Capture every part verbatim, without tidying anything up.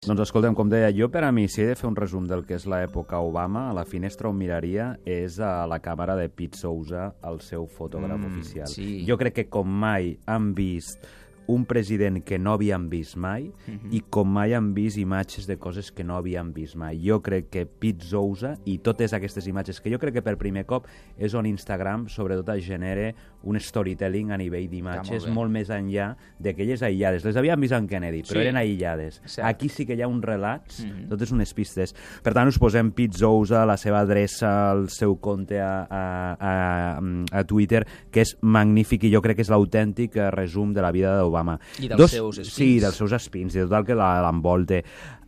Doncs escolta'm, com deia, jo per a mi, si he de fer un resum del que és l'època Obama, a la finestra on miraria és a la càmera de Pete Souza, el seu fotògraf Mm, oficial. sí. Jo crec que com mai han vist un president que no havíem vist mai Mhm. i com mai han vist imatges de coses que no havíem vist mai. Jo crec que Pete Souza i totes aquestes imatges, que jo crec que per primer cop és on Instagram sobretot genera un storytelling a nivell d'imatges molt bé. molt més enllà d'aquelles aïllades. Les havíem vist en Kennedy, però Sí. eren aïllades. Cert. Aquí sí que hi ha uns relats, Mhm. totes unes pistes. Per tant, us posem Pete Souza, la seva adreça, el seu compte a, a, a, a Twitter, que és magnífic i jo crec que és l'autèntic resum de la vida d'Obama. I dels Dos, seus espins. Sí, dels seus espins, i de tot el que la- l'envolta.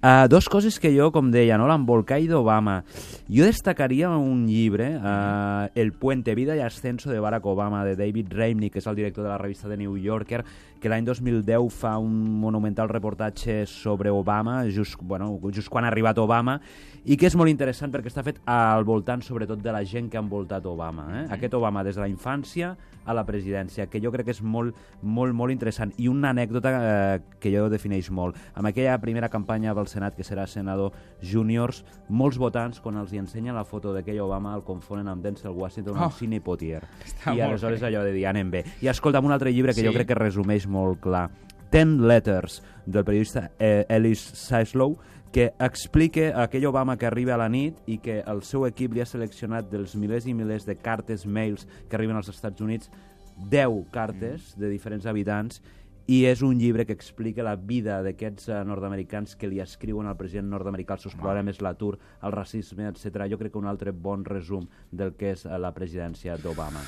Uh, dos coses que jo, com deia, no? L'embolcall d'Obama. Jo destacaria un llibre, uh, El puente, vida y ascenso de Barack Obama, de David Remnick, que és el director de la revista The New Yorker, que l'any dos mil deu fa un monumental reportatge sobre Obama, just, bueno, just quan ha arribat Obama, i que és molt interessant perquè està fet al voltant, sobretot, de la gent que ha envoltat Obama. Eh? Mm. Aquest Obama des de la infància a la presidència, que jo crec que és molt, molt, molt interessant. I una anècdota eh, que jo defineix molt. Amb aquella primera campanya del Senat, que serà senador júniors, molts votants, quan els hi ensenyen la foto d'aquell Obama, el confonen amb Denzel Washington, Oh, amb Sidney Poitier. està I molt aleshores bé. allò de dir, anem bé. I escolta'm un altre llibre que Sí. jo crec que resumeix molt clar. Ten Letters, del periodista eh, Ellis Sislow, que explica aquell Obama que arriba a la nit i que el seu equip li ha seleccionat dels milers i milers de cartes, mails que arriben als Estats Units, deu cartes de diferents habitants, i és un llibre que explica la vida d'aquests uh, nord-americans que li escriuen al president nord-americà els seus problemes, l'atur, el racisme, etcètera. Jo crec que un altre bon resum del que és uh, la presidència d'Obama.